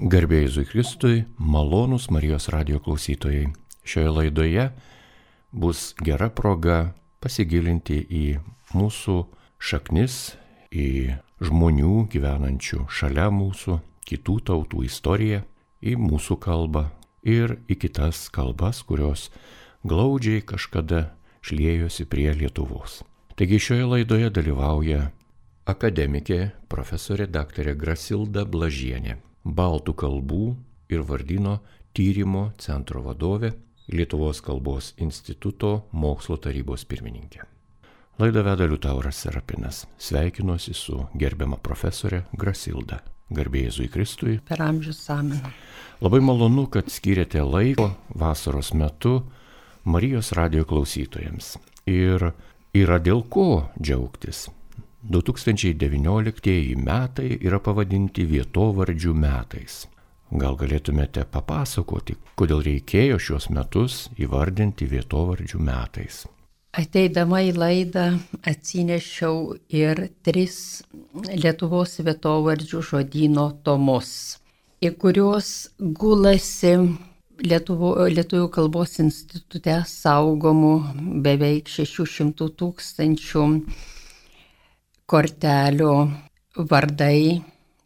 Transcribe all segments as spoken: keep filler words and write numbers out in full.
Garbė Jėzui Kristui, malonūs Marijos radijo klausytojai. Šioje laidoje bus gera proga pasigilinti į mūsų šaknis, į žmonių gyvenančių šalia mūsų, kitų tautų istoriją, į mūsų kalbą ir į kitas kalbas, kurios glaudžiai kažkada šliejosi prie Lietuvos. Taigi šioje laidoje dalyvauja akademikė profesorė daktarė Grasilda Blažienė, baltų kalbų ir vardyno tyrimo centro vadovė, Lietuvos kalbos instituto mokslo tarybos pirmininkė. Laidą veda Liutauras Serapinas. Sveikinuosi su gerbiama profesorė Grasilda. Garbė Jėzui Kristui. Per amžius amen. Labai malonu, kad skiriate laiko vasaros metu Marijos radijo klausytojams. Ir yra dėl ko džiaugtis. du tūkstančiai devynioliktieji metai yra pavadinti vietovardžių metais. Gal galėtumėte papasakoti, kodėl reikėjo šios metus įvardinti vietovardžių metais? Ateidama į laidą atsinešiau ir tris Lietuvos vietovardžių žodyno tomus, į kuriuos gulasi Lietuvo, Lietuvių kalbos institute saugomų beveik šešių šimtų tūkstančių kortelių vardai,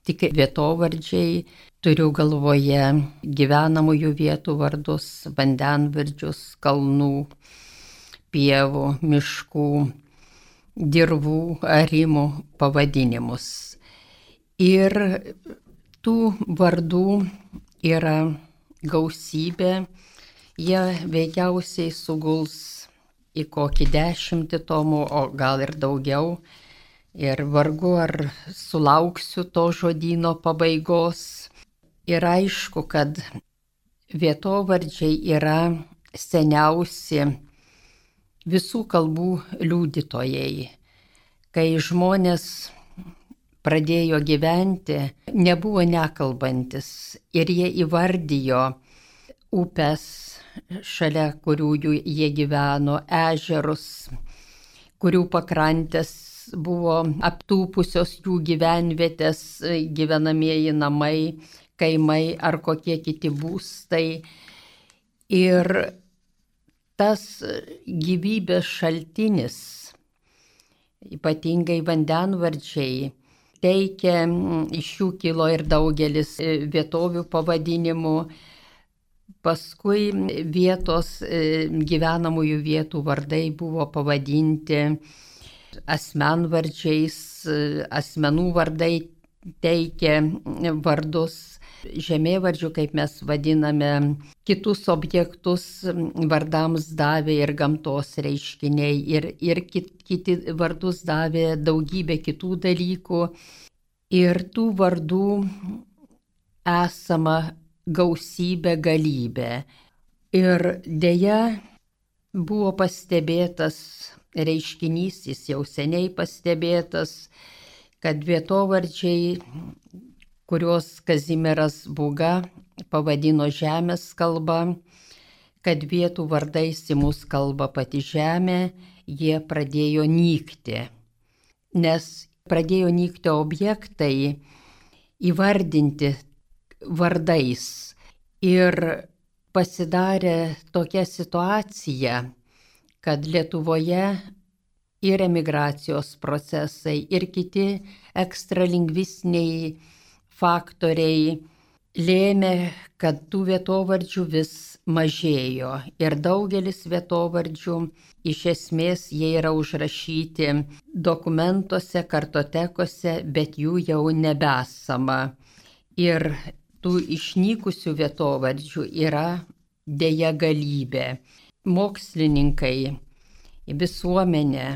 tik vietovardžiai, turiu galvoje gyvenamųjų vietų vardus, vandenvardžius, kalnų, pievų, miškų, dirvų, arimų pavadinimus. Ir tų vardų yra gausybė, jie veikiausiai suguls į kokį dešimtį tomų, o gal ir daugiau. Ir vargu ar sulauksiu to žodyno pabaigos. Ir aišku, kad vietovardžiai yra seniausi visų kalbų liudytojai. Kai žmonės pradėjo gyventi, nebuvo nekalbantis ir jie įvardijo upes, šalia kurių jie gyveno, ežerus, kurių pakrantės buvo aptūpusios jų gyvenvietės, gyvenamieji namai, kaimai ar kokie kiti būstai. Ir tas gyvybės šaltinis, ypatingai vandenvardžiai, teikia, iš jų kilo ir daugelis vietovių pavadinimų. Paskui vietos gyvenamųjų vietų vardai buvo pavadinti asmenvardžiais, asmenų vardai teikia vardus, žemėvardžių, kaip mes vadiname, kitus objektus vardams davė ir gamtos reiškiniai, ir, ir kit, kiti vardus davė daugybė kitų dalykų. Ir tų vardų esama gausybė, galybė. Ir deja buvo pastebėtas reiškinys, jis jau seniai pastebėtas, kad vietovardžiai, kuriuos Kazimieras Būga pavadino žemės kalba, kad vietų vardais į mūsų kalbą pati žemė, jie pradėjo nykti. Nes pradėjo nykti objektai įvardinti vardais. Ir pasidarė tokia situacija, kad Lietuvoje ir emigracijos procesai, ir kiti ekstralingvistiniai faktoriai lėmė, kad tų vietovardžių vis mažėjo. Ir daugelis vietovardžių iš esmės jie yra užrašyti dokumentuose, kartotekose, bet jų jau nebesama. Ir tų išnykusių vietovardžių yra deja galybė. Mokslininkai, visuomenė,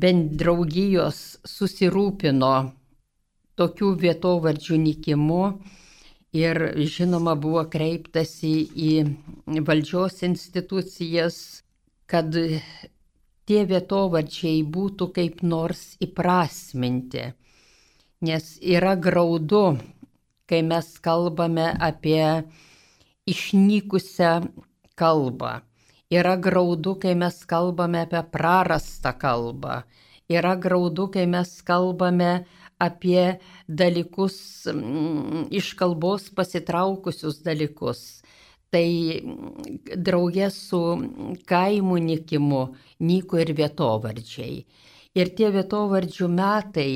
bent draugijos susirūpino tokių vietovardžių nykimu ir, žinoma, buvo kreiptasi į valdžios institucijas, kad tie vietovardžiai būtų kaip nors įprasminti. Nes yra graudu, kai mes kalbame apie išnykusią kalbą. Yra graudu, kai mes kalbame apie prarastą kalbą. Yra graudu, kai mes kalbame apie dalykus, iš kalbos pasitraukusius dalykus. Tai draugė su kaimų nykimu nyko ir vietovardžiai. Ir tie vietovardžių metai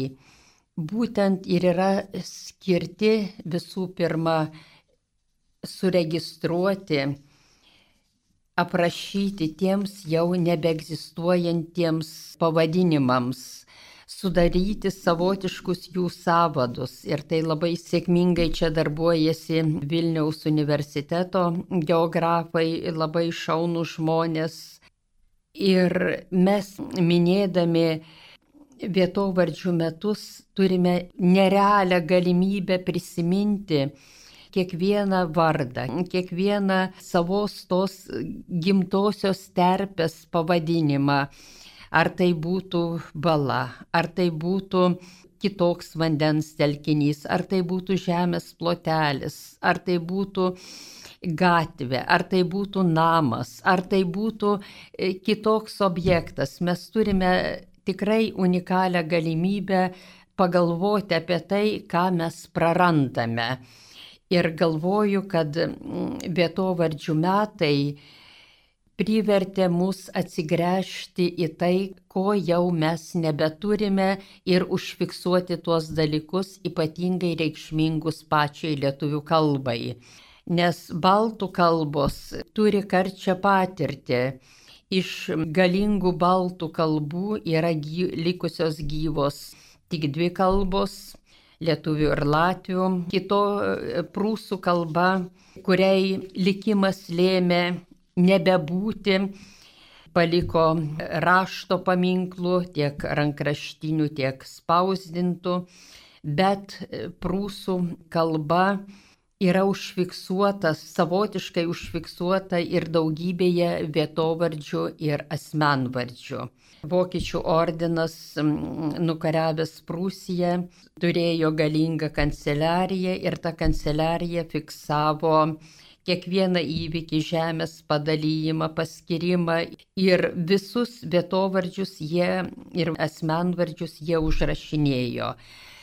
būtent ir yra skirti visų pirma suregistruoti, aprašyti tiems jau nebeegzistuojantiems pavadinimams, sudaryti savotiškus jų sąvadus. Ir tai labai sėkmingai čia darbuojasi Vilniaus universiteto geografai, labai šaunūs žmonės. Ir mes minėdami vietovardžių metus turime nerealią galimybę prisiminti kiekvieną vardą, kiekvieną savos tos gimtosios terpės pavadinimą. Ar tai būtų bala, ar tai būtų kitoks vandens telkinys, ar tai būtų žemės plotelis, ar tai būtų gatvė, ar tai būtų namas, ar tai būtų kitoks objektas. Mes turime tikrai unikalią galimybę pagalvoti apie tai, ką mes prarandame. Ir galvoju, kad vietovardžių metai privertė mus atsigręžti į tai, ko jau mes nebeturime ir užfiksuoti tuos dalykus ypatingai reikšmingus pačiai lietuvių kalbai. Nes baltų kalbos turi karčią patirtį. Iš galingų baltų kalbų yra gy, likusios gyvos tik dvi kalbos - lietuvių ir latvių. Kito prūsų kalba, kuriai likimas lėmė nebebūti, paliko rašto paminklų, tiek rankraštinių, tiek spausdintų, bet prūsų kalba yra užfiksuota, savotiškai užfiksuota ir daugybėje vietovardžių ir asmenvardžių. Vokiečių ordinas, nukariavęs Prūsiją, turėjo galingą kanceliariją ir ta kanceliarija fiksavo kiekvieną įvykį, žemės padalijimą, paskirimą ir visus vietovardžius jie ir asmenvardžius jie užrašinėjo.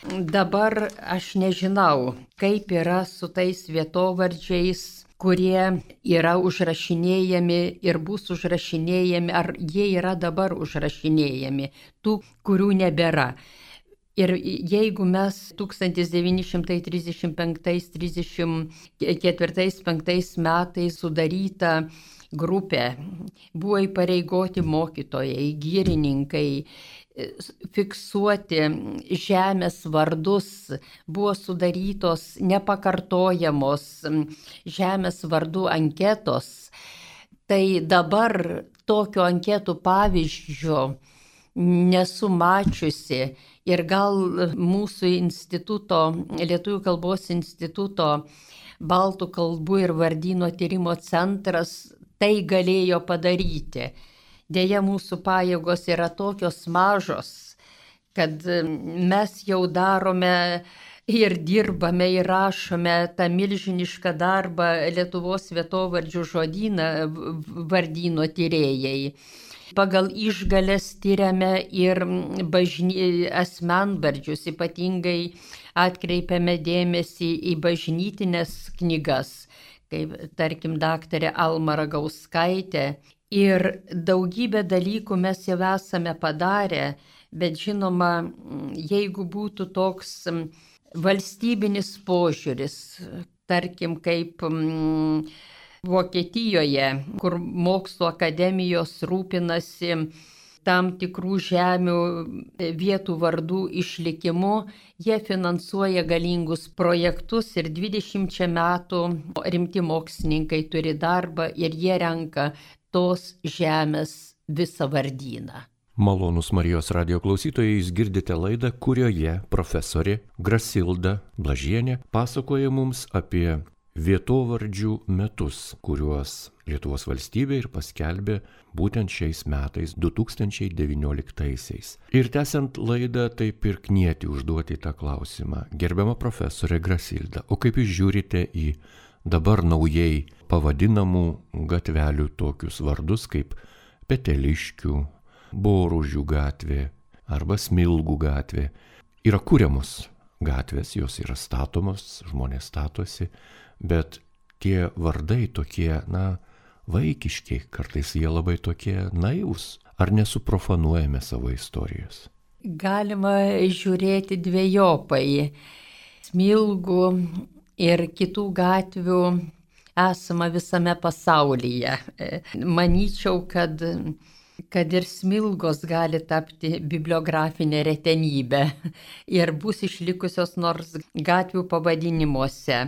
Dabar aš nežinau, kaip yra su tais vietovardžiais, kurie yra užrašinėjami ir bus užrašinėjami, ar jie yra dabar užrašinėjami, tų, kurių nebėra. Ir jeigu mes tūkstantis devyni šimtai trisdešimt penktais trisdešimt ketvirtais penktais metais sudaryta grupė, buvo įpareigoti mokytojai, girininkai, fiksuoti žemės vardus, buvo sudarytos nepakartojamos žemės vardų anketos, tai dabar tokio anketų pavyzdžio nesu mačiusi ir gal mūsų instituto, Lietuvių kalbos instituto baltų kalbų ir vardyno tyrimo centras tai galėjo padaryti. Deja, mūsų pajėgos yra tokios mažos, kad mes jau darome ir dirbame ir rašome tą milžinišką darbą Lietuvos vietovardžių žodyną vardyno tyrėjai. Pagal išgales tyriame ir bažny... asmenvardžius, ypatingai atkreipiame dėmesį į bažnytinės knygas, kaip tarkim daktarė Alma Ragauskaitė. Ir daugybę dalykų mes jau esame padarę, bet žinoma, jeigu būtų toks valstybinis požiūris, tarkim kaip mm, Vokietijoje, kur mokslo akademijos rūpinasi tam tikrų žemių vietų vardų išlikimu, jie finansuoja galingus projektus ir dvidešimčia metų rimti mokslininkai turi darbą ir jie renka tos žemės visą vardyną. Malonūs Marijos radijo klausytojai, jūs girdite laidą, kurioje profesorė Grasilda Blažienė pasakoja mums apie vietovardžių metus, kuriuos Lietuvos valstybė ir paskelbė būtent šiais metais, du tūkstančiai devynioliktaisiais. Ir tęsiant laidą, taip ir knieti užduoti tą klausimą. Gerbiama profesorė Grasilda, o kaip jūs žiūrite į dabar naujai pavadinamų gatvelių tokius vardus kaip Peteliškių, Boružių gatvė arba Smilgų gatvė? yra kūriamos gatvės, jos yra statomos, žmonės statosi, bet tie vardai tokie, na, vaikiški, kartais jie labai tokie naivūs. Ar nesuprofanuojame savo istorijos? Galima žiūrėti dvejopai. Smilgų ir kitų gatvių esama visame pasaulyje. Manyčiau, kad, kad ir Smilgos gali tapti bibliografinė retenybė ir bus išlikusios nors gatvių pavadinimuose.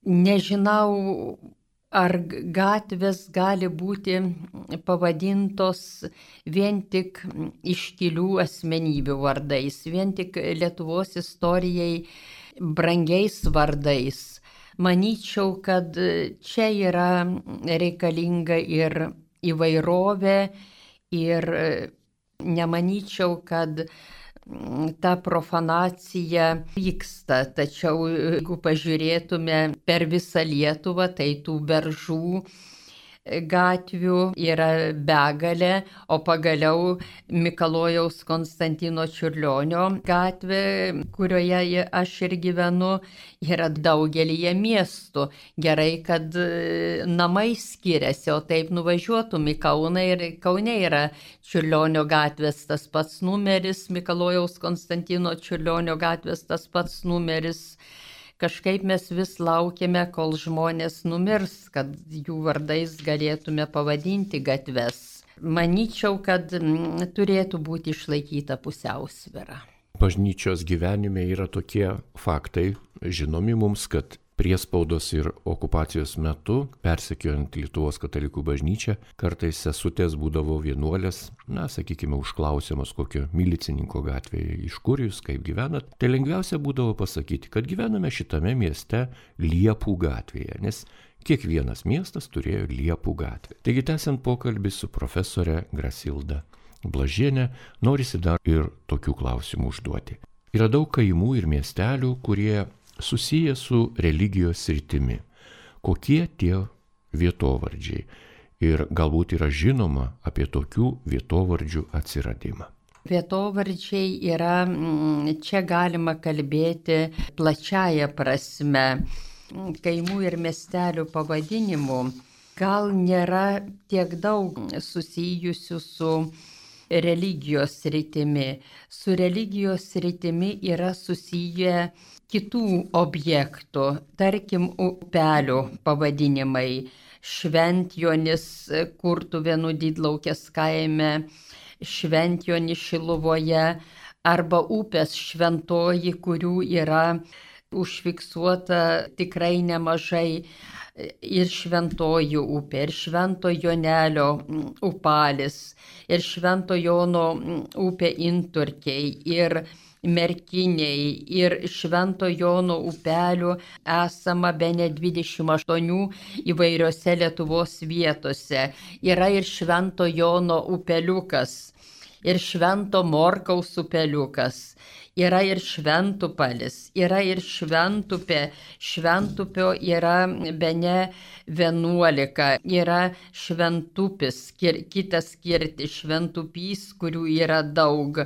Nežinau, ar gatvės gali būti pavadintos vien tik iškilių asmenybių vardais, vien tik Lietuvos istorijai brangiais vardais. Manyčiau, kad čia yra reikalinga ir įvairovė ir nemanyčiau, kad ta profanacija vyksta, tačiau jeigu pažiūrėtume per visą Lietuvą, tai tų beržų gatvių yra begalė, o pagaliau Mikalojaus Konstantino Čiurlionio gatvė, kurioje aš ir gyvenu, yra daugelyje miestų. Gerai, kad namai skiriasi, o taip nuvažiuotum į Kauną ir Kaune yra Čiurlionio gatvės tas pats numeris, Mikalojaus Konstantino Čiurlionio gatvės tas pats numeris. Kažkaip mes vis laukiame, kol žmonės numirs, kad jų vardais galėtume pavadinti gatves. Manyčiau, kad turėtų būti išlaikyta pusiausvyra. Bažnyčios gyvenime yra tokie faktai, žinomi mums, kad priespaudos ir okupacijos metu, persekiojant Lietuvos katalikų bažnyčią, kartais sesutės būdavo vienuolės, na, sakykime, užklausiamos kokio milicininko gatvėje, iš kur jūs, kaip gyvenat. Tai lengviausia būdavo pasakyti, kad gyvename šitame mieste Liepų gatvėje, nes kiekvienas miestas turėjo Liepų gatvę. Taigi, tęsiant pokalbį su profesore Grasilda Blažienė, norisi dar ir tokių klausimų užduoti. Yra daug kaimų ir miestelių, kurie susiję su religijos sritimi. Kokie tie vietovardžiai? Ir galbūt yra žinoma apie tokių vietovardžių atsiradimą. Vietovardžiai yra, čia galima kalbėti plačiaja prasme, kaimų ir miestelių pavadinimų. Gal nėra tiek daug susijusių su religijos sritimi. Su religijos sritimi yra susiję kitų objektų, tarkim, upelių pavadinimai. Šventjonis Kurtuvėnų Didlaukės kaime, Šventjonis Šiluvoje arba upės Šventoji, kurių yra užfiksuota tikrai nemažai. Ir Šventoji upė, ir Švento Jonelio upalis, ir Švento Jono upė Inturkiai, ir Merkiniai, ir Švento Jono upelių esama bene dvidešimt aštuonių įvairiose Lietuvos vietose. Yra ir Švento Jono upeliukas, ir Švento Morkaus upeliukas. Yra ir Šventupalis, yra ir Šventupė, Šventupio yra bene vienuolika, yra Šventupis, kitas kirtis, Šventupys, kurių yra daug,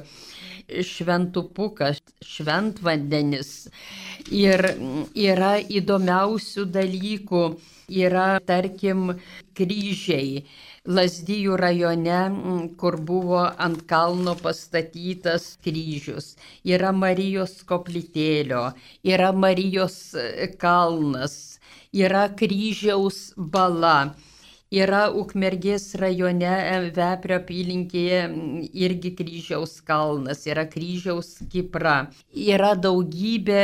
Šventupukas, Šventvandenis. Ir yra įdomiausių dalykų, yra, tarkim, kryžiai. Lazdijų rajone, kur buvo ant kalno pastatytas kryžius, yra Marijos koplytėlio, yra Marijos kalnas, yra kryžiaus bala, yra Ukmergės rajone Veprio apylinkėje irgi kryžiaus kalnas, yra kryžiaus Kipra, yra daugybė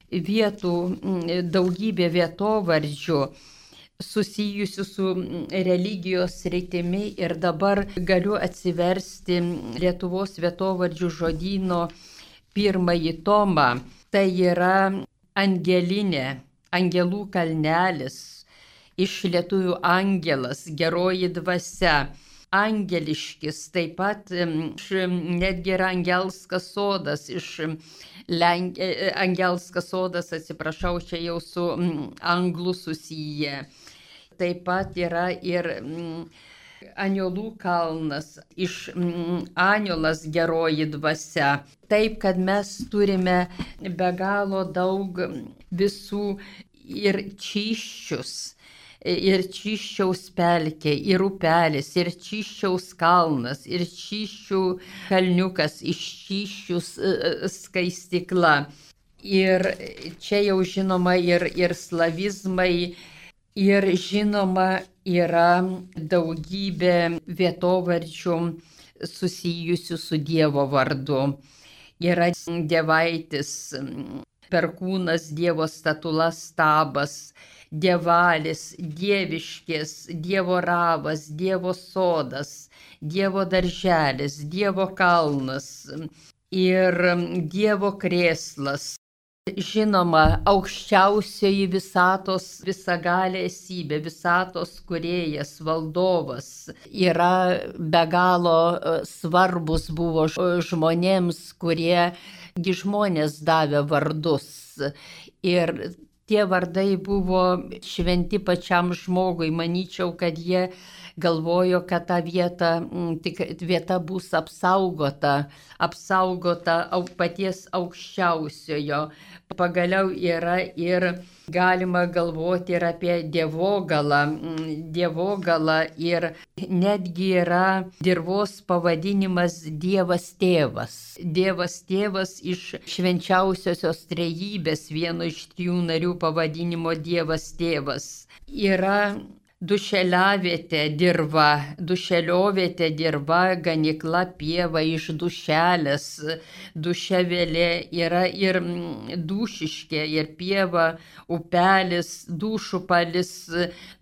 vietų, daugybė vietovardžių susijusių su religijos sritimi ir dabar galiu atsiversti Lietuvos vietovardžių žodyno pirmąjį tomą. Tai yra Angelinė, Angelų kalnelis, iš lietuvių angelas, geroji dvasia. Angeliškis, taip pat netgi yra Angelskas sodas, iš Lenk... Angelskas sodas, atsiprašau, čia jau su anglų susiję. Taip pat yra ir Aniolų kalnas, iš mm, Aniolas geroji dvasia. Taip, kad mes turime be galo daug visų ir Čyščius, ir Čyščiaus pelkė, ir upelis, ir Čyščiaus kalnas, ir Čyščių kalniukas, iš Čyščius skaistikla. Ir čia jau žinoma ir, ir slavizmai, ir žinoma yra daugybė vietovardžių susijusių su Dievo vardu. Yra Dievaitis, Perkūnas, Dievo statula, Stabas, Dievalis, Dieviškės, Dievo ravas, Dievo sodas, Dievo darželis, Dievo kalnas ir Dievo krėslas. Žinoma, aukščiausioji visatos visagalė esybė, visatos kūrėjas, valdovas yra be galo svarbus buvo žmonėms, kurie gi žmonės davė vardus. Ir tie vardai buvo šventi pačiam žmogui. Manyčiau, kad jie galvojo, kad ta vieta, tik vieta bus apsaugota, apsaugota paties aukščiausiojo. Pagaliau yra ir galima galvoti ir apie Dievogalą. Dievogalą ir netgi yra dirvos pavadinimas Dievas tėvas. Dievas tėvas iš švenčiausiosios trejybės, vieno iš trijų narių pavadinimo Dievas tėvas. Yra dušeliavietė dirva, dušeliovietė dirva, ganykla pieva iš dušelės, duševelė yra ir dušiškė, ir pieva, upelis, dušupalis,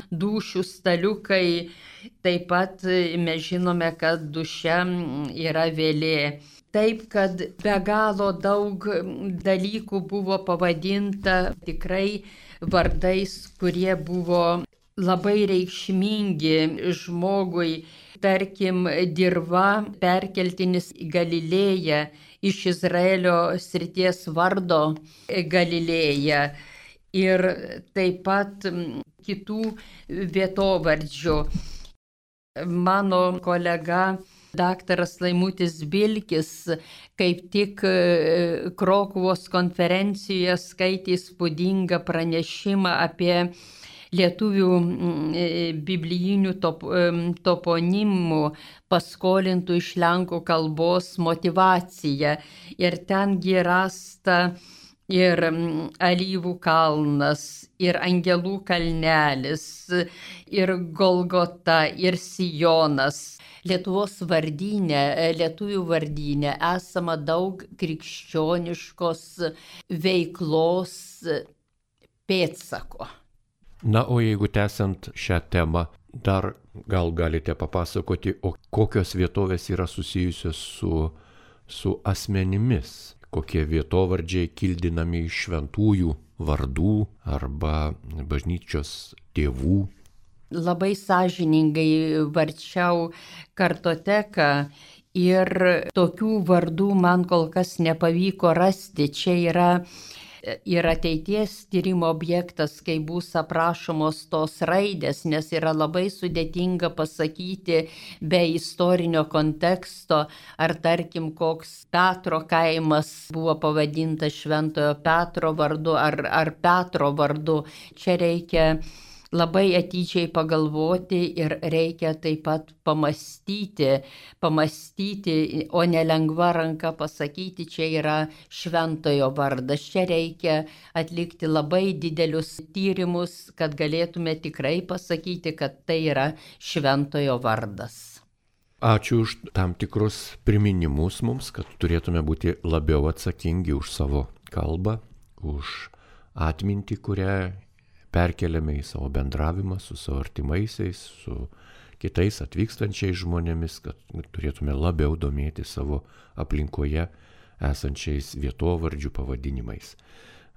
dušių staliukai. Taip pat mes žinome, kad duše yra vėlė. Taip, kad be galo daug dalykų buvo pavadinta tikrai vardais, kurie buvo labai reikšmingi žmogui. Tarkim, dirva perkeltinis į Galilėją, iš Izraelio srities vardo Galilėja. Ir taip pat kitų vietovardžių. Mano kolega daktaras Laimutis Bilkis kaip tik Krokuvos konferencijoje skaitė įspūdingą pranešimą apie lietuvių biblijinių top, toponimų paskolintų iš lenkų kalbos motyvaciją. Ir tengi rasta ir Alyvų kalnas, ir Angelų kalnelis, ir Golgota, ir Sijonas. Lietuvos vardyne, lietuvių vardyne esama daug krikščioniškos veiklos pėdsako. Na, o jeigu tęsiant šią temą, dar gal galite papasakoti, o kokios vietovės yra susijusios su, su asmenimis, kokie vietovardžiai kildinami iš šventųjų vardų arba bažnyčios tėvų. Labai sąžiningai varčiau kartoteką ir tokių vardų man kol kas nepavyko rasti. Čia yra ir ateities tyrimo objektas, kai bus aprašomos tos raidės, nes yra labai sudėtinga pasakyti be istorinio konteksto, ar tarkim koks Petro kaimas buvo pavadintas Šventojo Petro vardu, ar, ar Petro vardu. Čia reikia labai atidžiai pagalvoti ir reikia taip pat pamastyti, pamastyti, o ne lengva ranka pasakyti, čia yra šventojo vardas. Čia reikia atlikti labai didelius tyrimus, kad galėtume tikrai pasakyti, kad tai yra šventojo vardas. Ačiū už tam tikrus priminimus mums, kad turėtume būti labiau atsakingi už savo kalbą, už atmintį, kurią perkeliame į savo bendravimą su savo artimaisiais, su kitais atvykstančiais žmonėmis, kad turėtume labiau domėti savo aplinkoje esančiais vietovardžių pavadinimais.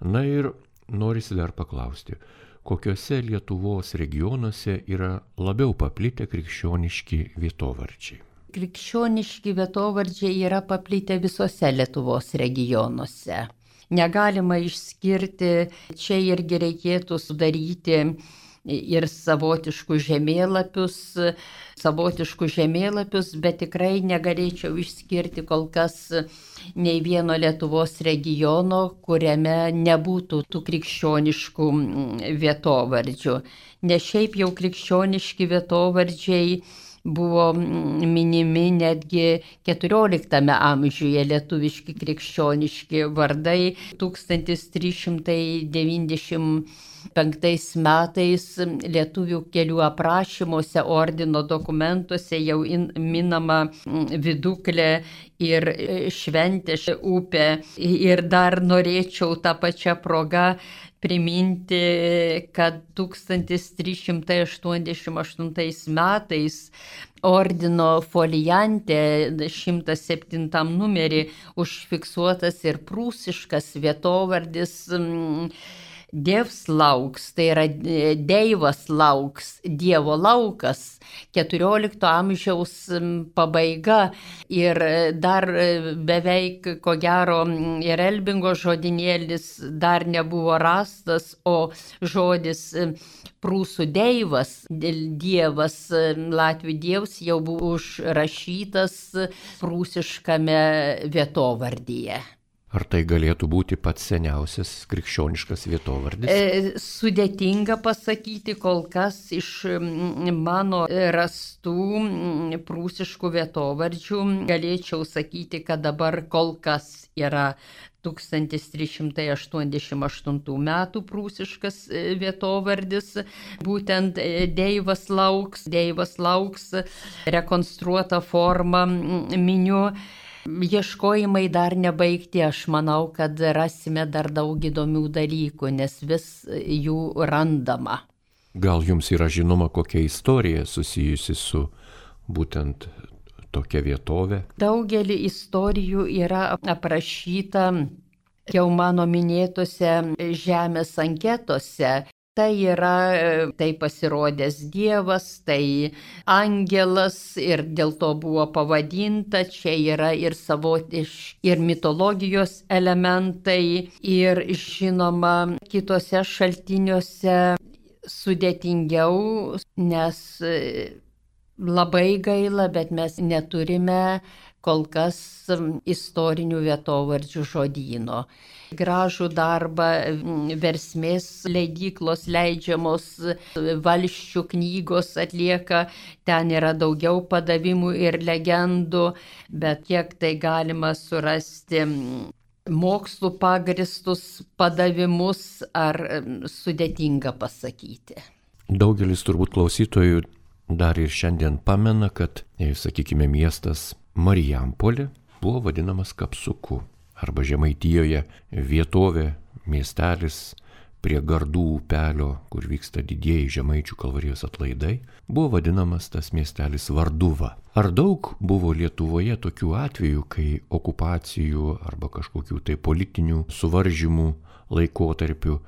Na ir norisi dar paklausti, kokiuose Lietuvos regionuose yra labiau paplitę krikščioniški vietovardžiai? Krikščioniški vietovardžiai yra paplitę visose Lietuvos regionuose. Negalima išskirti, čia irgi reikėtų sudaryti ir savotiškus žemėlapius, savotiškus žemėlapius, bet tikrai negalėčiau išskirti kol kas nei vieno Lietuvos regiono, kuriame nebūtų tų krikščioniškų vietovardžių. Nes šiaip jau krikščioniški vietovardžiai buvo minimi netgi keturioliktame amžiuje, lietuviški krikščioniški vardai. tūkstantis trys šimtai devyniasdešimt penktais metais lietuvių kelių aprašymuose, ordino dokumentuose jau in, minama Viduklė ir Šventės upė. Ir dar norėčiau tą pačią progą priminti, kad tūkstantis trys šimtai aštuoniasdešimt aštuntais metais ordino folijante šimtas septintam numerį užfiksuotas ir prūsiškas vietovardis Dievs lauks, tai yra Deivas lauks, Dievo laukas, keturiolikto amžiaus pabaiga. Ir dar beveik, ko gero, ir Elbingo žodinėlis dar nebuvo rastas, o žodis prūsų Deivas, Dievas, latvių Dievs jau buvo užrašytas prūsiškame vietovardyje. Ar tai galėtų būti pats seniausias krikščioniškas vietovardis? E, sudėtinga pasakyti, kol kas iš mano rastų prūsiškų vietovardžių galėčiau sakyti, kad dabar kol kas yra tūkstantis trys šimtai aštuoniasdešimt aštuntų metų prūsiškas vietovardis, būtent Deivas lauks, Deivas lauks, rekonstruota forma miniu. Ieškojimai dar nebaigti, aš manau, kad rasime dar daug įdomių dalykų, nes vis jų randama. Gal jums yra žinoma kokia istorija susijusi su būtent tokia vietovė? Daugelį istorijų yra aprašyta jau mano minėtose žemės anketose. Tai yra, tai pasirodęs Dievas, tai angelas ir dėl to buvo pavadinta, čia yra ir savotiški, ir mitologijos elementai, ir žinoma, kitose šaltiniuose sudėtingiau, nes labai gaila, bet mes neturime kol kas istorinių vietovardžių žodyno. Gražų darbą versmės leidyklos leidžiamos valsčių knygos atlieka, ten yra daugiau padavimų ir legendų, bet kiek tai galima surasti mokslų pagristus padavimus, ar sudėtinga pasakyti. Daugelis turbūt klausytojų dar ir šiandien pamena, kad, sakykime, miestas Marijampolė buvo vadinamas Kapsuku, arba Žemaitijoje vietovė, miestelis prie Gardų upelio, kur vyksta didieji Žemaičių kalvarijos atlaidai, buvo vadinamas tas miestelis Varduva. Ar daug buvo Lietuvoje tokių atvejų, kai okupacijų arba kažkokių tai politinių suvaržymų laikotarpių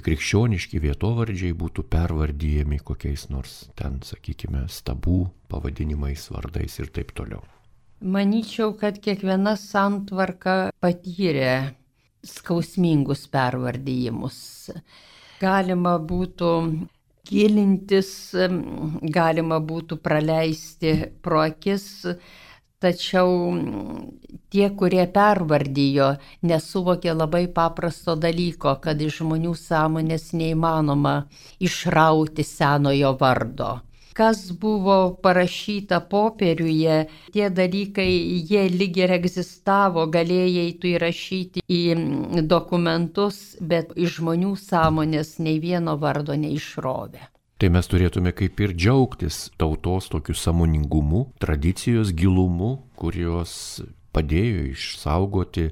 krikščioniški vietovardžiai būtų pervardyjami kokiais nors ten, sakykime, stabų pavadinimais, vardais ir taip toliau? Manyčiau, kad kiekviena santvarka patyrė skausmingus pervardyjimus. Galima būtų gilintis, galima būtų praleisti pro akis, tačiau tie, kurie pervardijo, nesuvokė labai paprasto dalyko, kad iš žmonių sąmonės neįmanoma išrauti senojo vardo. Kas buvo parašyta popieriuje, tie dalykai, jie lyg ir egzistavo, galėjai tu įrašyti į dokumentus, bet iš žmonių sąmonės nei vieno vardo neišrovė. Tai mes turėtume kaip ir džiaugtis tautos tokiu sąmoningumu, tradicijos gilumu, kurios padėjo išsaugoti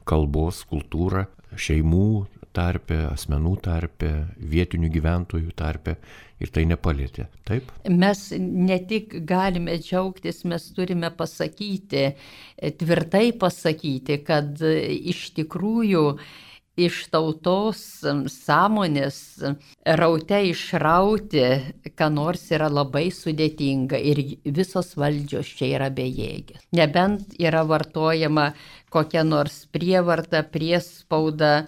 kalbos kultūrą šeimų tarpe, asmenų tarpe, vietinių gyventojų tarpe. Ir tai nepalėtė, taip? Mes ne tik galime džiaugtis, mes turime pasakyti, tvirtai pasakyti, kad iš tikrųjų iš tautos sąmonės raute išrauti, ką nors yra labai sudėtinga ir visos valdžios čia yra bejėgės. Nebent yra vartojama kokia nors prievarta, priespauda,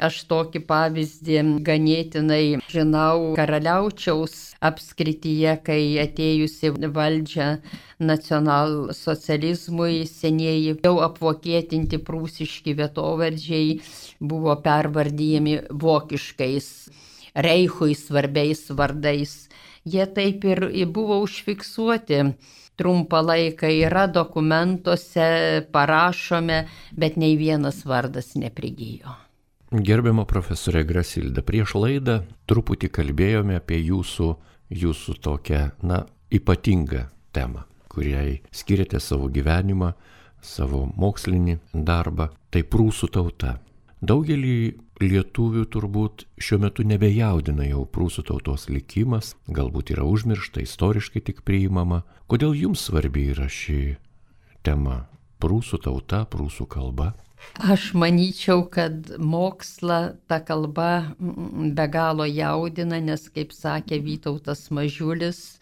Aš tokį pavyzdį ganėtinai žinau Karaliaučiaus apskrityje, kai atėjusi valdžia nacionalsocializmui senieji jau apvokietinti prūsiški vietovardžiai buvo pervardyjami vokiškais, Reichui svarbiais vardais. Jie taip ir buvo užfiksuoti. Trumpą laiką yra dokumentuose, parašome, bet nei vienas vardas neprigijo. Gerbiama profesorė Grasilda, prieš laidą truputį kalbėjome apie jūsų, jūsų tokią, na, ypatingą temą, kuriai skiriate savo gyvenimą, savo mokslinį darbą, tai prūsų tauta. Daugelį lietuvių turbūt šiuo metu nebejaudina jau prūsų tautos likimas, galbūt yra užmiršta, istoriškai tik priimama. Kodėl jums svarbi yra ši tema? Prūsų tauta, prūsų kalba? Aš manyčiau, kad mokslą ta kalba be galo jaudina, nes, kaip sakė Vytautas Mažiulis,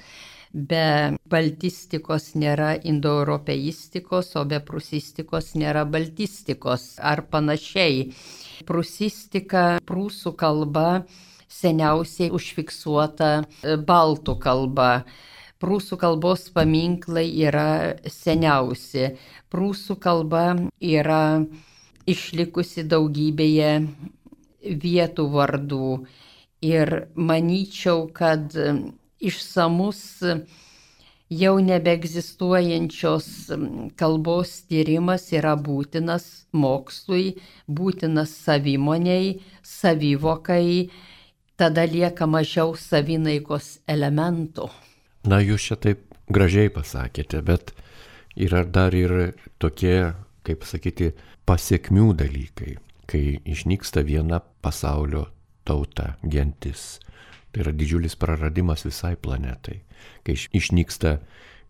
be baltistikos nėra indoeuropeistikos, o be prūsistikos nėra baltistikos ar panašiai. Prūsistika, prūsų kalba seniausiai užfiksuota baltų kalba. Prūsų kalbos paminklai yra seniausi. Prūsų kalba yra išlikusi daugybėje vietų vardų. Ir manyčiau, kad išsamus jau nebeegzistuojančios kalbos tyrimas yra būtinas mokslui, būtinas savimoniai, savivokai, tada lieka mažiau savinaikos elementų. Na, jūs čia taip gražiai pasakėte, bet yra dar ir tokie, kaip sakyti, pasiekmių dalykai, kai išnyksta viena pasaulio tauta, gentis. Tai yra didžiulis praradimas visai planetai. Kai išnyksta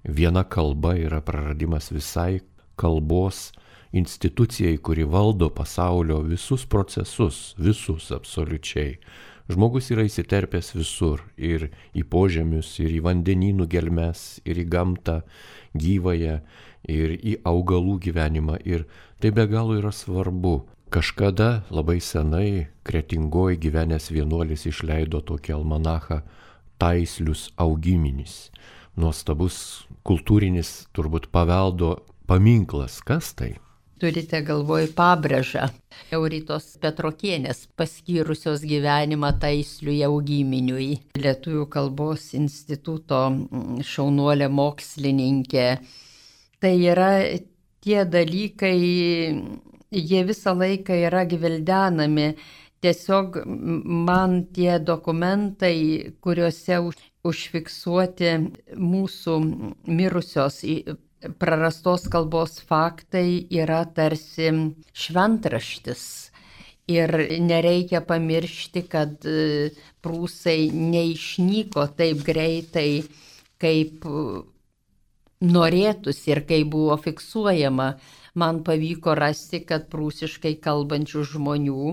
viena kalba, yra praradimas visai kalbos institucijai, kuri valdo pasaulio visus procesus, visus absoliučiai. Žmogus yra įsiterpęs visur, ir į požemius, ir į vandenynų gelmes, ir į gamtą gyvąją, ir į augalų gyvenimą. Ir tai be galo yra svarbu. Kažkada labai senai Kretingoj gyvenęs vienuolis išleido tokį almanachą Taislius augiminis. Nuostabus kultūrinis turbūt paveldo paminklas. Kas tai? Turite galvoj pabrėžą Euritos Petrokienės paskyrusios gyvenimą Taisliui augiminiui. Lietuvių kalbos instituto šaunuolė mokslininkė. Tai yra tie dalykai, jie visą laiką yra gvildenami. Tiesiog man tie dokumentai, kuriuose užfiksuoti mūsų mirusios prarastos kalbos faktai, yra tarsi šventraštis. Ir nereikia pamiršti, kad prūsai neišnyko taip greitai, kaip norėtųsi ir kaip buvo fiksuojama. Man pavyko rasti, kad prūsiškai kalbančių žmonių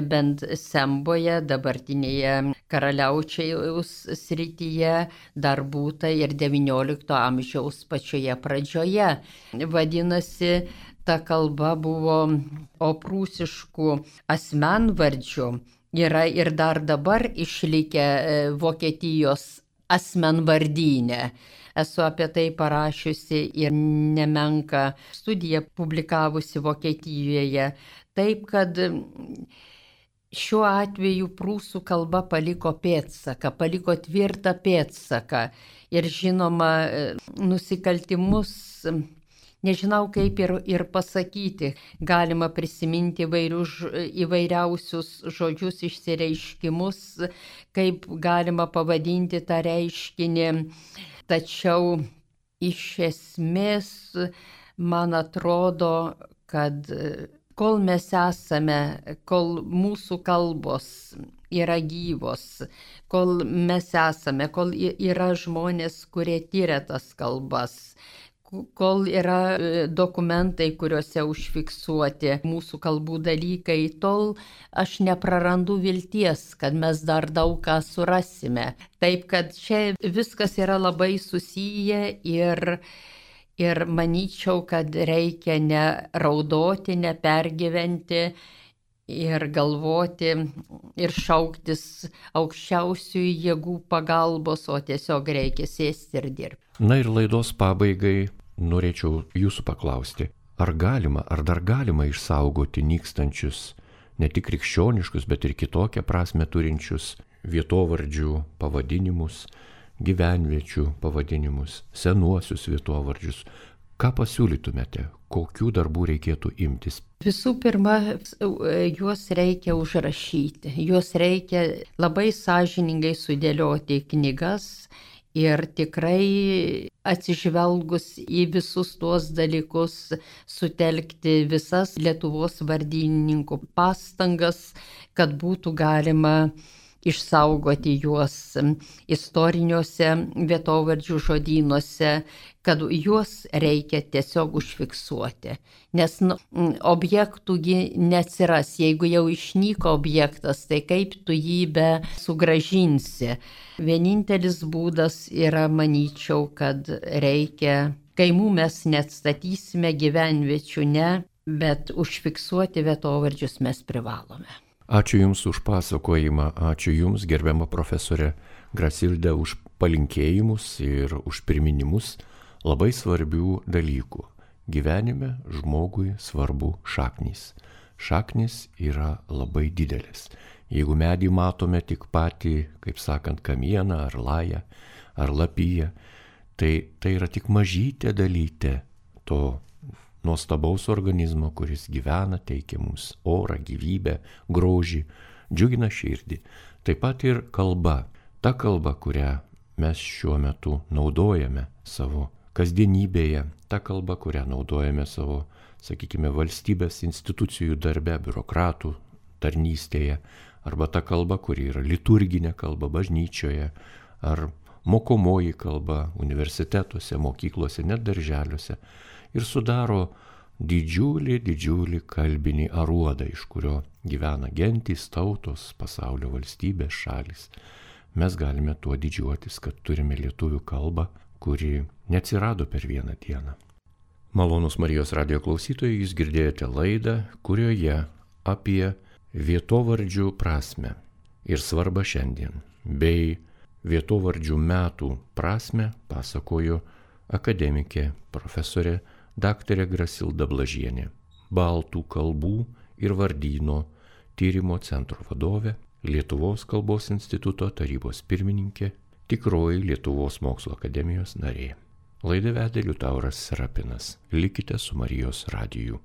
bent Semboje, dabartinėje Karaliaučiaus srityje, dar būta ir devyniolikto amžiaus pačioje pradžioje. Vadinasi, ta kalba buvo, o prūsiškų asmenvardžių yra ir dar dabar išlikę Vokietijos asmenvardyne. Esu apie tai parašiusi ir nemenką studiją publikavusi Vokietijoje. Taip, kad šiuo atveju prūsų kalba paliko pėdsaką, paliko tvirtą pėdsaką. Ir žinoma, nusikaltimus, nežinau kaip ir, ir pasakyti, galima prisiminti įvairius, įvairiausius žodžius, išsireiškimus, kaip galima pavadinti tą reiškinį. Tačiau iš esmės man atrodo, kad kol mes esame, kol mūsų kalbos yra gyvos, kol mes esame, kol yra žmonės, kurie tyria tas kalbas, kol yra dokumentai, kuriuose užfiksuoti mūsų kalbų dalykai, tol aš neprarandu vilties, kad mes dar daug ką surasime. Taip, kad čia viskas yra labai susiję ir Ir manyčiau, kad reikia ne raudoti, ne pergyventi ir galvoti ir šauktis aukščiausių jėgų pagalbos, o tiesiog reikia sėsti ir dirbti. Na ir laidos pabaigai norėčiau jūsų paklausti, ar galima, ar dar galima išsaugoti nykstančius, ne tik krikščioniškus, bet ir kitokią prasme turinčius vietovardžių pavadinimus, gyvenviečių pavadinimus, senuosius vietovardžius. Ką pasiūlytumėte, kokių darbų reikėtų imtis? Visų pirma, juos reikia užrašyti, juos reikia labai sąžiningai sudėlioti į knygas ir tikrai atsižvelgus į visus tuos dalykus sutelkti visas Lietuvos vardynininkų pastangas, kad būtų galima išsaugoti juos istoriniuose vietovardžių žodynuose, kad juos reikia tiesiog užfiksuoti. Nes nu, objektų neatsiras, jeigu jau išnyko objektas, tai kaip tu jį be sugrąžinsi. Vienintelis būdas yra, manyčiau, kad reikia, kaimų mes neatstatysime, gyvenviečių ne, bet užfiksuoti vietovardžius mes privalome. Ačiū Jums už pasakojimą, ačiū Jums, gerbiama profesorė Grasilda, už palinkėjimus ir už priminimus labai svarbių dalykų. Gyvenime žmogui svarbu šaknys. Šaknys yra labai didelis. Jeigu medį matome tik patį, kaip sakant, kamieną ar lają ar lapiją, tai tai yra tik mažytė dalytė to nuostabaus organizmo, kuris gyvena, teikia mums orą, gyvybę, grožį, džiugina širdį. Taip pat ir kalba. Ta kalba, kurią mes šiuo metu naudojame savo kasdienybėje, ta kalba, kurią naudojame savo, sakykime, valstybės institucijų darbe, biurokratų tarnystėje, arba ta kalba, kuri yra liturginė kalba bažnyčioje, ar mokomoji kalba universitetuose, mokyklose, net darželiuose, ir sudaro didžiulį, didžiulį kalbinį aruodą, iš kurio gyvena gentys, tautos, pasaulio valstybės, šalis. Mes galime tuo didžiuotis, kad turime lietuvių kalbą, kuri neatsirado per vieną dieną. Malonūs Marijos radijo klausytojai, jūs girdėjote laidą, kurioje apie vietovardžių prasmę ir svarbą šiandien, bei vietovardžių metų prasmę pasakojo akademikė profesorė daktarė Grasilda Blažienė, baltų kalbų ir vardyno tyrimo centro vadovė, Lietuvos kalbos instituto tarybos pirmininkė, tikroji Lietuvos mokslo akademijos narė. Laidą vedė Liutauras Serapinas. Likite su Marijos radiju.